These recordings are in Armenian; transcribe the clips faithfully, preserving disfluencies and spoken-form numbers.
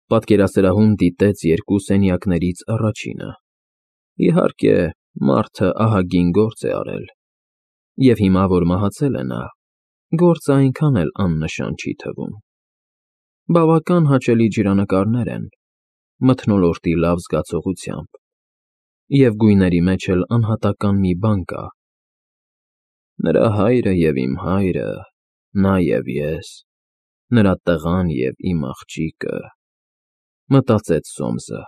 Պատկերասրահում դիտեց երկու սենյակներից առաջինը։ Իհարկե, մարդը ահագին գործ է արել, և հիմա, որ մահացել է նա, գործը այնքան էլ աննշան չի թվում։ Բավական հաճելի ջրանկարներ են, մթնոլորտի լավ զգացողությամբ, և գույների մեջ էլ անհատական մի բան կա. «Նրա հայրը և իմ հայրը, նա և ես, նրա տղան և իմ աղջիկը», մտածեց Սոմսը։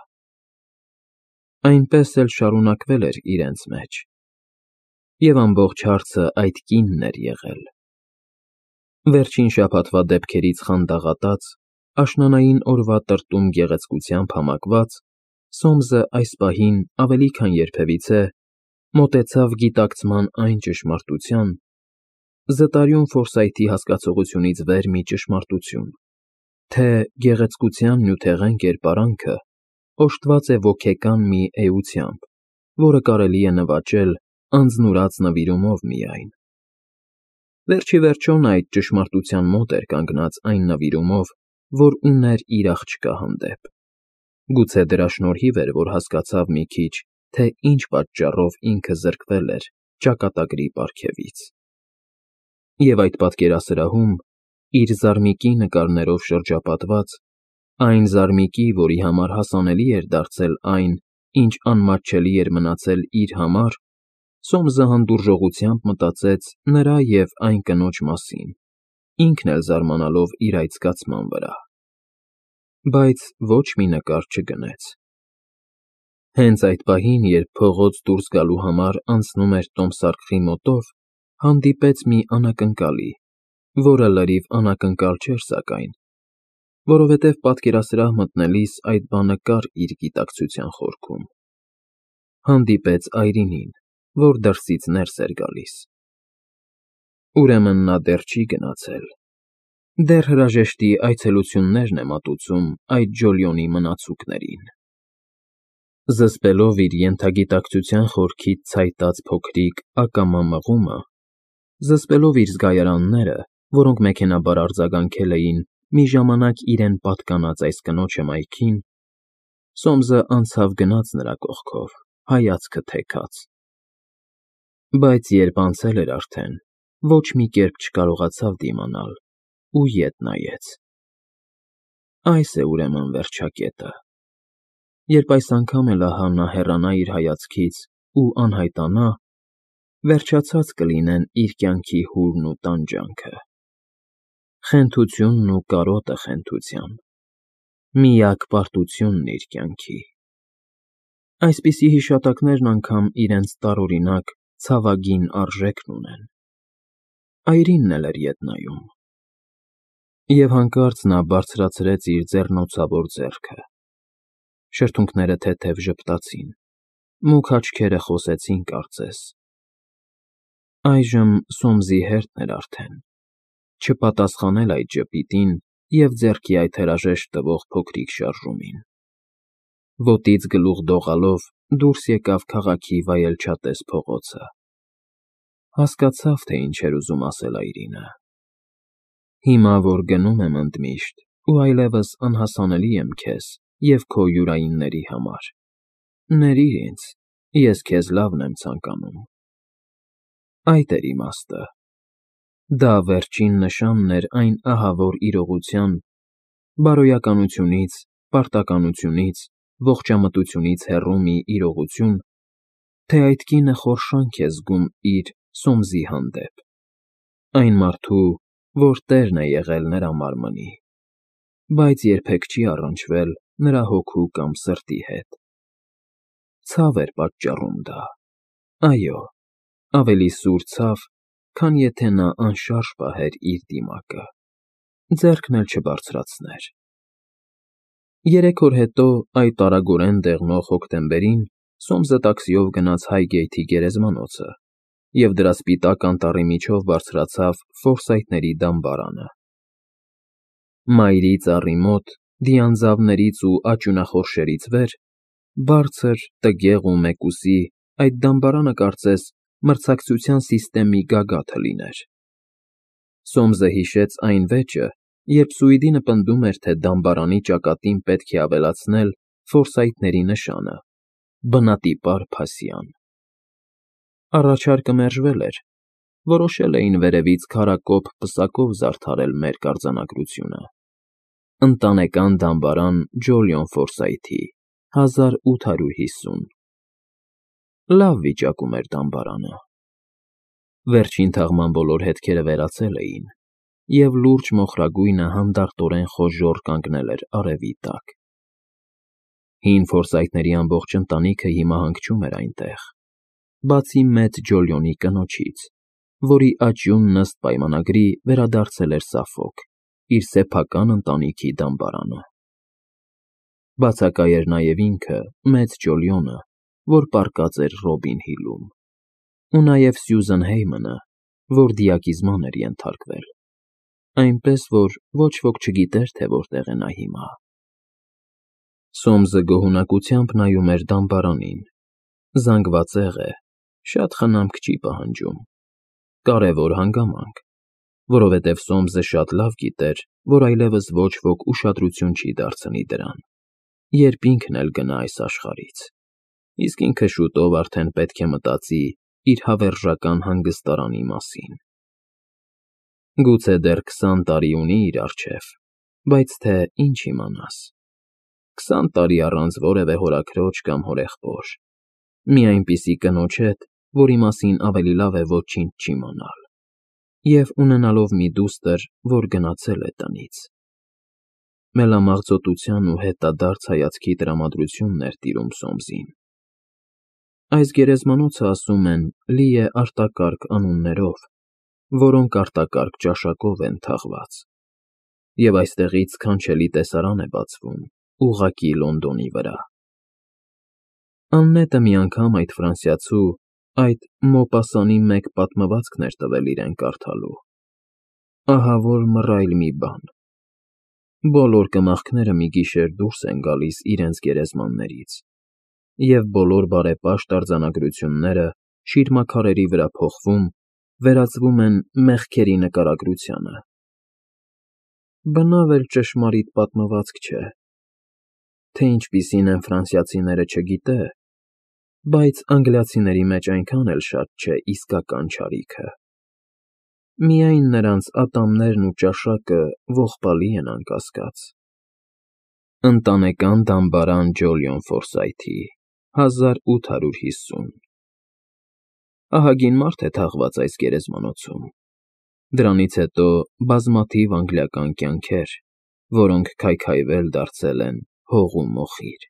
Այնպես էլ շարունակվել էր իրենց մեջ, և ամբողջ հարցը այդ կինն էր եղել։ Վերջին շաբաթվա դեպքերից խանդաղատած, աշնանային օրվա տրտում գեղեցկությամբ համակված, Սոմսը այս պահին ավելի քան երբևիցե մոտեցավ գիտակցման այն ճշմարտության, զտարյուն Ֆորսայթի հասկացությունից վեր մի ճշմարտություն, թե գեղեցկության նյութեղեն կերպարանքը օժտված է ոգեկան մի էությամբ, որը կարելի է նվաճել անձնուրաց նվիրումով միայն։ Վերջիվերջո նա այդ ճշմարտության մոտ էր կանգնած այն նվիրումով, որ ուներ իր աղջկա հանդեպ։ Գուցե դրա շնորհիվ էր, որ հասկացավ մի քիչ, թե ինչ պատճառով ինքը զրկվել էր ճակատագրի պարգևից։ Եվ այդ պատկերասրահում, իր զարմիկի նկարներով շրջապատված, այն զարմիկի, որի համար հասանելի էր դարձել այն, ինչ անմատչելի էր մնացել իր համար, Սոմսը հանդուրժողությամբ մտածեց նրա և այն կնոջ մասին, ինքն էլ զարմանալով իր այդ զգացման վրա։ Բայց ոչ մի նկար չգնեց։ Հենց այդ պահին, երբ փողոց դուրս գալու համար անցնում էր տոմսարկղի մոտով, հանդիպեց մի անակնկալի, որը լրիվ անակնկալ չէր սակայն, որովհետև պատկերասրահ մտնելիս այդ բանը կար իր գիտակցության խորքում։ Հանդիպեց այրինին, որ դրսից ներս էր գալիս։ Ուրեմն նա դեռ չի գնացել, դեռ հրաժեշտի այցելություններն է մատուցում այդ ջոլյոնի մնացուկներին։ Զսպելով իր ենթագիտակցության խորքից ցայտած փոքրիկ ակամա մղումը, զսպելով իր զգայարանները, որոնք մեքենայաբար արձագանքել էին մի ժամանակ իրեն պատկանած այս կնոջ հմայքին, Սոմսը անցավ գնաց նրա կողքով, հայացքը թեքած։ Բայց երբ անցել էր արդեն, ոչ մի կերպ չկարողացավ դիմանալ ու ետ նայեց։ Այս է ուրեմն վերջակետը։ Երբ այս անգամ էլ ահա նա հեռանա իր հայացքից ու անհայտանա, վերջացած կլինեն իր կյանքի հուրն ու տանջանքը, խենթությունն ու կարոտը խենթության, միակ պարտությունն իր կյանքի։ Այսպիսի հիշատակներն անգամ իրենց տարօրինակ, ցավագին արժեքն ունեն։ Այրինն էլ էր ետ նայում։ Եվ հանկարծ նա բարձրացրեց իր ձեռնոցավոր ձեռքը։ Շրթունքները թեթև ժպտացին, մուգ աչքերը խոսեցին կարծես։ Այժմ Սոմսի հերթն էր արդեն, չպատասխանել այդ ժպիտին և ձեռքի այդ հրաժեշտ տվող փոքրիկ շարժումին։ Ոտից գլուխ դողալով դուրս եկավ քաղաքի վայելչատես փողոցը։ Հասկացավ, թե ինչ էր ուզում ասել այրինը։ Հիմա, որ գնում եմ ընդմիշտ ու այլևս անհասանելի եմ քեզ և քո յուրայինների համար, ներիր ինձ, ես քեզ լավն եմ ցանկանում։ Այդ էր իմաստը։ Դա վերջին նշանն էր այն ահավոր իրողության, բարոյականությունից, պարտականությունից, ողջամտությունից հեռու մի իրողություն, թե այդ կինը խորշանք է զգում իր՝ Սոմսի հանդեպ, այն մարդու, որ տերն է եղել նրա մարմնի, բայց երբեք չի առնչվել նրա հոգու կամ սրտի հետ։ Ցավ էր պատճառում դա, այո, ավելի սուր ցավ, քան եթե նա անշարժ պահեր իր դիմակը, ձեռքն էլ չբարձրացներ։ Երեք օր հետո, այդ արագորեն դեղնող հոկտեմբերին, Սոմսը տաքսիով գնաց Հայգեյթի գերեզմանոցը և դրա սպիտակ անտառի միջով բարձրացավ Ֆորսայթների դամբարանը։ Մայրի ծառի մոտ, դիանձավներից ու աճյունախորշերից վեր, բարձր, տգեղ ու մեկուսի, այդ դամբարանը կարծես մրցակցության սիստեմի գագաթը լիներ։ Սոմսը հիշեց այն վեճը, երբ Սուիդինը պնդում էր, թե դամբարանի ճակատին պետք է ավելացնել ֆորսայթների նշանը՝ բնատիպար փասյան։ Առաջարկը մերժվել էր, որոշել էին վերևից քարակոպ պսակով զարդարել մեր կարձանագրությունը. «Ընտանեկան դամբարան Ջոլիոն Ֆորսայթի, հազար ութ հարյուր հիսուն»։ Լավ վիճակում էր դամբարանը։ Վերջին թաղման բոլոր հետքերը վերացել էին, և լուրջ մոխրագույնը հանդարտորեն խոժոռ կանգնել էր արևի տակ։ Հին Ֆորսայթների ամբողջ ընտանիքը հիմա հանգչում էր այնտեղ, բացի մեծ Ջոլիոնի կնոջից, որի աճյունն ըստ պայմանագրի վերադարձել էր Սաֆոք, իր սեփական ընտանիքի դամբարանը։ Բացակայ էր նաև ինքը, մեծ Ջոլիոնը, որ պառկած էր Ռոբին Հիլում, ու նաև Սյուզեն Հեյմանը, որ դիակիզման էր ենթարկվել, այնպես որ ոչ ոք չգիտեր, թե որտեղ է նա հիմա։ Սոմսը գոհունակությամբ նայում էր դամբարանին։ Զանգվածեղ է, շատ խնամք չի պահանջում։ Կարևոր հանգամանք, որովհետև Սոմսը շատ լավ գիտեր, որ այլևս ոչ ոք ուշադրություն չի դարձնի դրան, երբ ինքն էլ գնա այս աշխարհից, իսկ ինքը շուտով արդեն պետք է մտածի իր հավերժական հանգստարանի մասին։ Գուցե դեռ քսան տարի ունի իր առջև, բայց թե ինչ իմանաս։ Քսան տարի առանց որևէ հորաքրոջ կամ հորեղբոր, մի այնպիսի կնոջ հետ, որի մասին ավելի լավ է ոչինչ չիմանալ, և ունենալով մի դուստր, որ գնացել է տնից։ Մելամաղձոտության ու հետադարձ հայացքի տրամադրությունն էր տիրում Սոմսին։ Այս գերեզմանոցը, ասում են, լի է արտակարգ անուններով, որոնք արտակարգ ճաշակով են թաղված, և այստեղից սքանչելի տեսարան է բացվում ուղղակի Լոնդոնի վրա։ Աննետը մի անգամ այդ ֆրանսիացու, այդ Մոպասանի մեկ պատմվածքն էր տվել իրեն կարդալու։ Ահա որ մռայլ մի բան։ Բոլոր կմախքները մի գիշեր դուրս են գալիս իրենց գերեզմաններից, և բոլոր բարեպաշտ արձանագրությունները շիրմաքարերի վրա փոխվում, վերածվում են մեղքերի նկարագրությանը։ Բնավ էլ ճշմարիտ պատմվածք չէ, թե ինչպիսին են ֆրանսիացիները չգիտե, բայց անգլիացիների մեջ այնքան էլ շատ չէ իսկական չարիքը։ Միայն նրանց ատամներն ու ճաշակը ողբալի են անկասկած։ Ընտանեկան դամբարան Ջոլիոն Ֆորսայթի, հազար ութ հարյուր հիսուն։ Ահագին մարդ է թաղված այս գերեզմանոցում։ Դրանից հետո բազմաթիվ անգլիական կյանքեր, որոնք քայքայվել դարձել են հող ու մոխիր։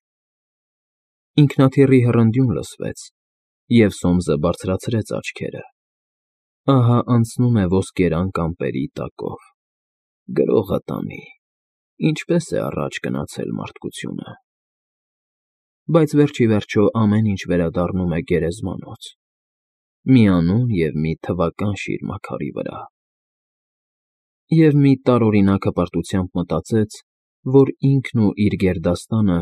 Ինքնաթիռի հռնդյուն լսվեց, և Սոմսը բարձրացրեց աչքերը։ Ահա անցնում է ոսկերան կամպերի տակով։ Գրողը տանի, ինչպես է առաջ գնացել մարդկությունը։ Բայց վերջիվերջո ամեն ինչ վերադառնում է գերեզմանոց, մի անուն և մի թվական շիրմաքարի վրա։ Եվ մի տարօրինակ հպարտությամբ մտածեց, որ ինքն ու իր գերդաստանը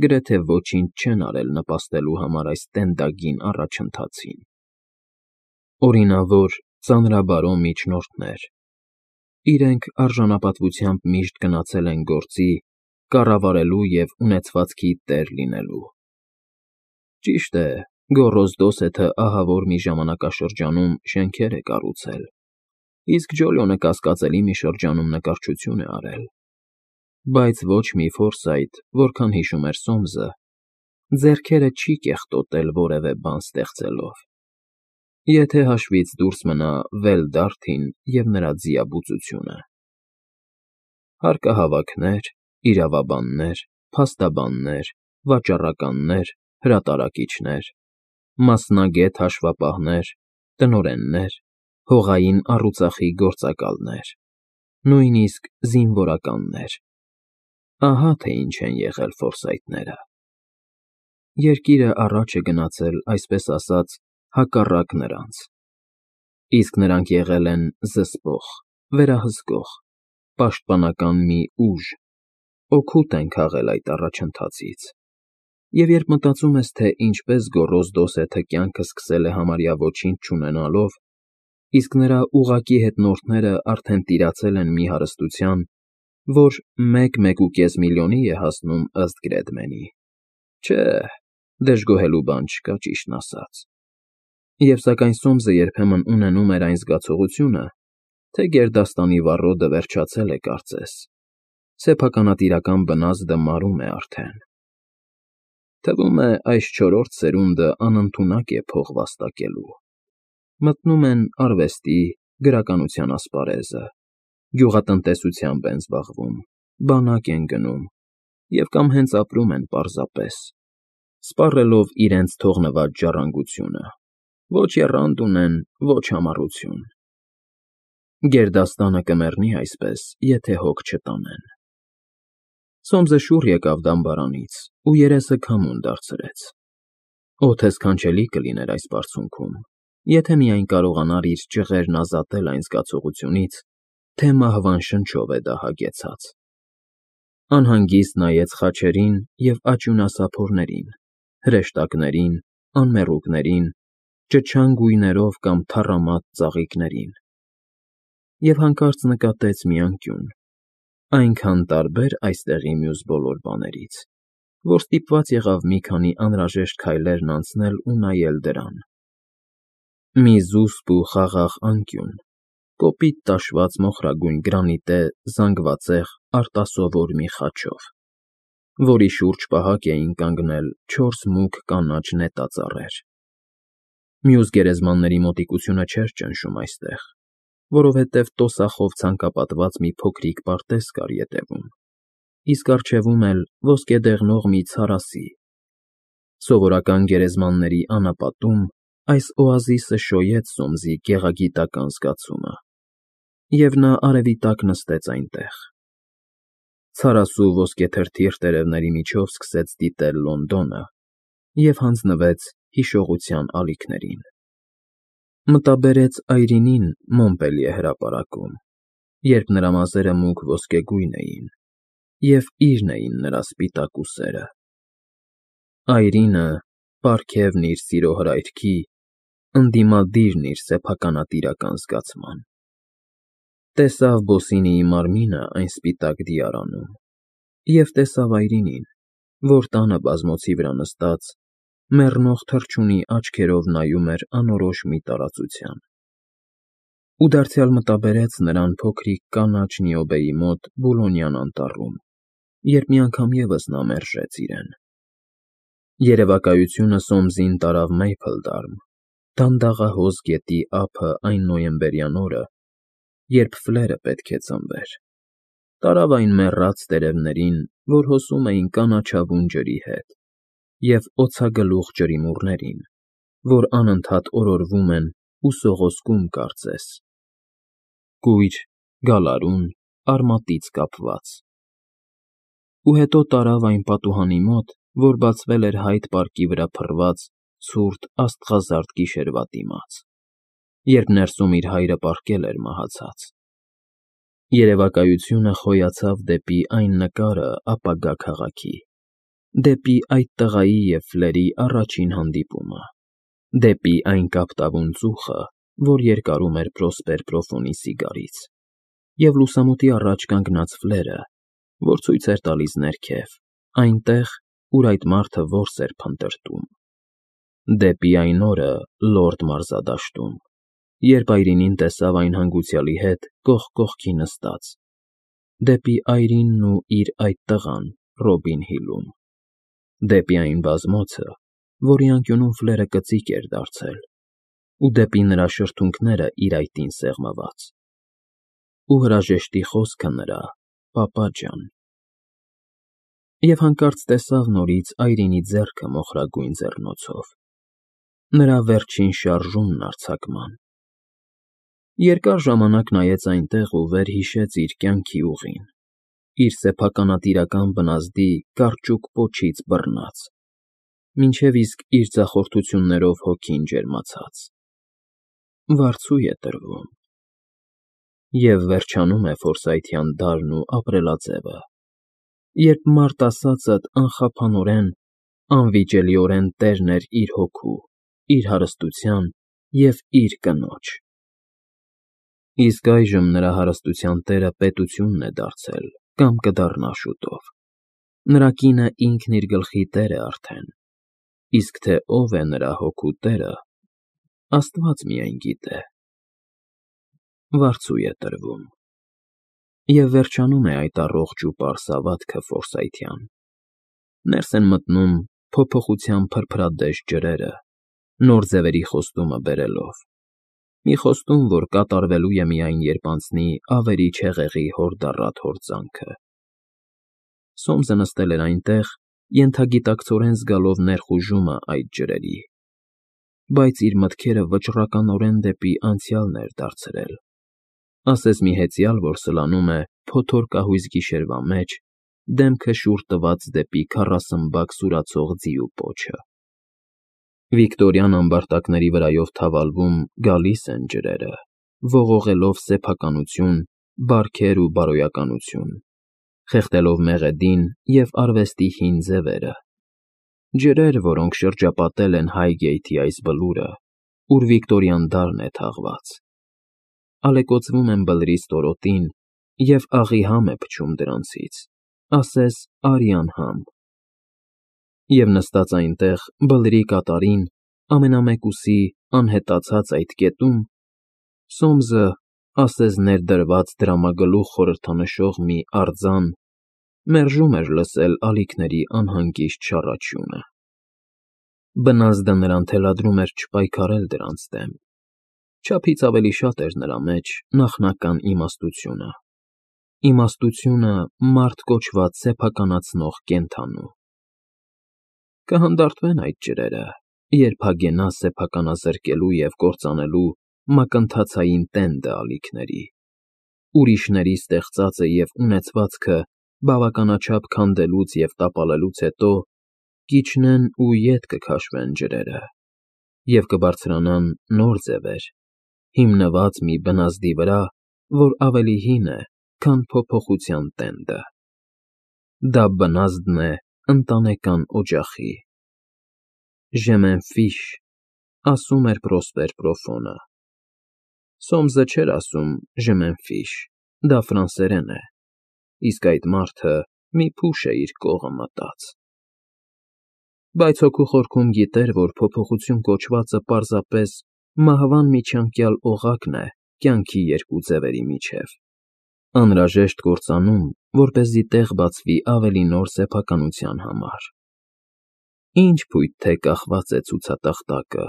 գրեթե ոչինչ չեն արել նպաստելու համար այս տենդագին առաջընթացին։ Օրինավոր, ծանրաբարո միջնորդներ, իրենք արժանապատվությամբ միշտ գնացել են գործի՝ կառավարելու և ունեցվածքի տեր լինելու։ Ճիշտ է, Գոռոզ Դոսեթը ահավոր մի ժամանակաշրջանում շենքեր է կառուցել, իսկ Ջոլիոնը կասկածելի մի շրջանում նկարչություն է արել, բայց ոչ մի Ֆորսայթ, որքան հիշում էր Սոմսը, ձեռքերը չի կեղտոտել որևէ բան ստեղծելով, եթե հաշվից դուրս մնա Վել֊Դարթին և նրա ձիաբուծությունը։ Հարկահավաքներ, իրավաբաններ, փաստաբաններ, վաճառականներ, հրատարակիչներ, մասնագետ հաշվապահներ, տնօրեններ, հողային առուծախի գործակալներ, նույնիսկ զինվորականներ։ Ահա թե ինչ են եղել Ֆորսայթները։ Երկիրը առաջ է գնացել, այսպես ասած, հակառակ նրանց, իսկ նրանք եղել են զսպող, վերահսկող, պաշտպանական մի ուժ, օգուտ են քաղել այդ առաջընթացից։ Եվ երբ մտածում ես, թե ինչպես Գոռոզ Դոսեթը կյանքը սկսել է համարյա ոչինչ չունենալով, իսկ նրա ուղղակի հետնորդները արդեն տիրացել են մի հարստության, որ մեկ֊մեկուկես միլիոնի է հասնում ըստ Գրեդմենի։ Չէ, դժգոհելու բան չկա, ճիշտն ասած։ Եվ սակայն Սոմսը երբեմն ունենում էր այն զգացողությունը, թե գերդաստանի վառոդը վերջացել է կարծես, սեփականատիրական բնազդը մարում է արդեն։ Թվում է, այս չորրորդ սերունդը անընդունակ է փող վաստակելու։ Մտնում են արվեստի, գրականության ասպարեզը, գյուղատնտեսությամբ են զբաղվում, բանակ են գնում և կամ հենց ապրում են պարզապես, սպառելով իրենց թողնված ժառանգությունը, ոչ եռանդ ունեն, ոչ համառություն։ Գերդաստանը կմեռնի այսպես, եթե հոգ չտանեն։ Սոմսը շուռ եկավ դամբարանից ու երեսը քամուն դարձրեց։ Օդը սքանչելի կլիներ այս բարձունքում, եթե միայն կարողանար իր ճղերն ազատել այն զգացողությունից, թե մահվան շնչով է դա հագեցած։ Անհանգիստ նայեց խաչերին և աճյունասափորներին, հրեշտակներին, անմեռուկներին, ճչան գույներով կամ թառամատ ծաղիկներին։ Եվ հանկարծ նկատեց մի անկյուն, այնքան տարբեր այստեղի մյուս բոլոր բաներից, որ ստիպված եղավ մի քանի անհրաժեշտ քայլերն անցնել ու նայել դրան։ Մի զուսպ ու խաղաղ անկյուն, կոպիտ տաշված մոխրագույն գրանիտե զանգվածեղ արտասովոր մի խաչով, որի շուրջ պահակ էին կանգնել չորս մուգ կանաչ նետածառեր։ Մյուս գերեզմանների մոտիկությունը չէր ճնշում այստեղ, որովհետև տոսախով ցանկապատված մի փոքրիկ պարտեզ կար ետևում, իսկ առջևում էլ ոսկեդեղնող մի ցարասի։ Սովորական գերեզմանների անապատում այս օազիսը շոյեց Սոմսի գեղագիտական զգացումը, և նա արևի տակ նստեց այնտեղ։ Ցարասու ոսկեթրթիռ տերևների միջով սկսեց դիտել Լոնդոնը և հանձնվեց հիշողության ալիքներին։ Մտաբերեց Այրինին Մոնպելիե հրապարակում, երբ նրա մազերը մուգ ոսկեգույն էին, և իրն էին նրա սպիտակ ուսերը։ Այրինը, պարգևն իր սիրո հրայրքի, ընդդիմադիրն իր սեփականատիրական զգացման։ Տեսավ Բոսինիի մարմինը այն սպիտակ դիարանում և տեսավ Այրինին, որ տանը բազմոցի վրա նստած, մեռնող թռչունի աչքերով նայում էր անորոշ մի տարածության։ Ու դարձյալ մտաբերեց նրան փոքրիկ կանաչ Նիոբեի մոտ Բուլոնյան անտառում, երբ մի անգամ ևս նա մերժեց իրեն։ Երևակայությունը Սոմսին տարավ Մեյփլդարմ, դանդաղահոս գետի ափը այն նոյեմբերյան օրը, երբ Ֆլերը պետք է ծնվեր, տարավ այն մեռած տերևներին, որ հոսում էին կանաչավուն ջրի հետ, և օձագլուխ ջրիմուռներին, որ անընդհատ օրորվում են ու սողոսկում կարծես, կույր, գալարուն, արմատից կապված։ Ու հետո տարավ այն պատուհանի մոտ, որ բացվել էր Հայդ պարկի վրա փռված ցուրտ աստղազարդ գիշերվա դիմաց, երբ ներսում իր հայրը պառկել էր մահացած։ Երևակայությունը խոյացավ դեպի այն նկարը ապագա քաղաքի, դեպի այդ տղայի և Ֆլերի առաջին հանդիպումը, դեպի այն կապտավուն ծուխը, որ երկարում էր Պրոսպեր Պրոֆոնի սիգարից, և լուսամուտի առաջ կանգնած Ֆլերը, որ ցույց էր տալիս ներքև, այնտեղ, ուր այդ մարդը որս էր փնտրտում, դեպի այն օրը լորդ մարզադաշտում, երբ Այրինին տեսավ այն հանգուցյալի հետ կողք կողքի նստած, դեպի Այրինն ու իր այդ տղան Ռոբին Հիլում, դեպի այն բազմոցը, որի անկյունում Ֆլերը կծիկ էր դարձել, ու դեպի նրա շրթունքները իր այտին սեղմված, ու հրաժեշտի խոսքը նրա. «Պապա ջան»։ Եվ հանկարծ տեսավ նորից Այրինի ձեռքը մոխրագույն ձեռնոցով, նրա վերջին շարժումն արձակման։ Երկար ժամանակ նայեց այնտեղ ու վերհիշեց իր կյանքի ուղին, իր սեփականատիրական բնազդի կարճուկ պոչից բռնած, մինչև իսկ իր ձախորդություններով հոգին ջերմացած։ Վարձու է տրվում։ Եվ վերջանում է ֆորսայթյան դարն ու ապրելաձևը, երբ մարդ ասածդ անխափանորեն, անվիճելիորեն տերն էր իր հոգու, իր հարստության և իր կնոջ։ Իսկ այժմ նրա հարստության տերը պետությունն է դարձել կամ կդառնա շուտով։ Նրա կինը ինքն իր գլխի տեր է արդեն, իսկ թե ով է նրա հոգու տերը, Աստված միայն գիտե։ Վարձու է տրվում։ Եվ վերջանում է այդ առողջ ու պարզ հավատքը Ֆորսայթյան։ Ներս են մտնում փոփոխության փրփրադեժ ջրերը, նոր ձևերի խոստումը բերելով։ Մի խոստում, որ կատարվելու է միայն, երբ անցնի ավերիչ հեղեղի հորդառատ հորձանքը։ Սոմսը նստել էր այնտեղ, ենթագիտակցորեն զգալով ներխուժումը այդ ջրերի, բայց իր մտքերը վճռականորեն դեպի անցյալն էր դարձրել, ասես մի հեծյալ, որ սլանում է փոթորկահույզ գիշերվա մեջ, դեմքը շուռ տված դեպի քառասմբակ սուրացող ձիու պոչը։ Վիկտորյան ամբարտակների վրայով թավալվում գալիս են ջրերը, ողողելով սեփականություն, բարքեր ու բարոյականություն, խեղդելով մեղեդին և արվեստի հին ձևերը, ջրեր, որոնք շրջապատել են Հայգեյթի այս բլուրը, ուր Վիկտորյան դարն է թաղված, ալեկոծվում են բլրի ստորոտին և աղի համ է փչում դրանցից, ասես արյան համ։ Եվ նստած այնտեղ, բլրի կատարին, ամենամեկուսի անհետացած այդ կետում, Սոմսը, ասես ներդրված դրամագլուխ խորհրդանշող մի արձան, մերժում էր լսել ալիքների անհանգիստ շառաչյունը։ Բնազդը նրան թելադրում էր չպայքարել դրանց դեմ, չափից ավելի շատ էր նրա մեջ նախնական իմաստությունը, իմաստությունը մարդ կոչված սեփականացնող կենդանու։ Կհանդարտվեն այդ ջրերը, երբ հագենա սեփականազրկելու և կործանելու մակընթացային տենդը ալիքների, ուրիշների ստեղծածը և ունեցվածքը բավականաչափ քանդելուց և տապալելուց հետո կիջնեն ու ետ կքաշվեն ջրերը, և կբարձրանան նոր ձևեր, հիմնված մի բնազդի վրա, որ ավելի հին է, քան փոփոխության տենդը։ Դա բնազդն է ընտանեկան օջախի։ «Je m'en fiche», ասում էր Պրոսպեր Պրոֆոնը։ Սոմսը չէր ասում «Je m'en fiche», դա ֆրանսերեն է, իսկ այդ մարդը մի փուշ է իր կողը մտած։ Բայց հոգու խորքում գիտեր, որ փոփոխություն կոչվածը պարզապես մահվան միջանկյալ օղակն է կյանքի երկու ձևերի միջև, անհրաժեշտ կործանում, որպեսզի տեղ բացվի ավելի նոր սեփականության համար։ Ինչ փույթ թե կախված է ցուցատախտակը,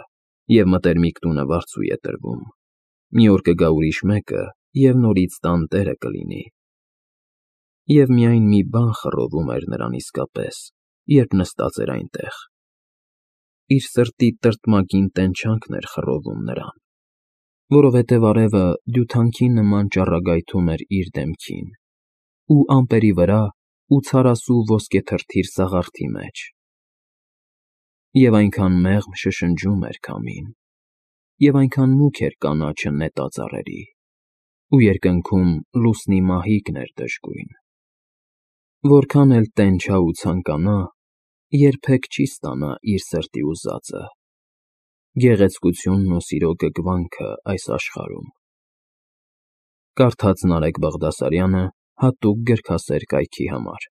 և մտերմիկ տունը վարձու է տրվում, մի օր կգա ուրիշ մեկը և նորից տան տերը կլինի։ Եվ միայն մի բան խռովում էր նրան իսկապես, երբ նստած էր այնտեղ. իր սրտի տրտմագին տենչանքն էր խռովում նրան, որովհետև արևը դյութանքի նման ճառագայթում էր իր դեմքին, ու ամպերի վրա ու ցարասու ոսկեթրթիր սաղարթի մեջ, և այնքան մեղմ շշնջում էր քամին, և այնքան մուգ էր կանաչը նետա ծառերի, ու երկնքում լուսնի մահիկն էր դժգույն։ Որքան էլ տենչա ու ցանկանա, երբեք չի ստանա իր սրտի ուզածը՝ գեղեցկությունն ու սիրո գգվանքը այս աշխարհում։ Կարդաց Նարեկ Բաղդասարյանը հատուկ գրքասեր կայքի համար։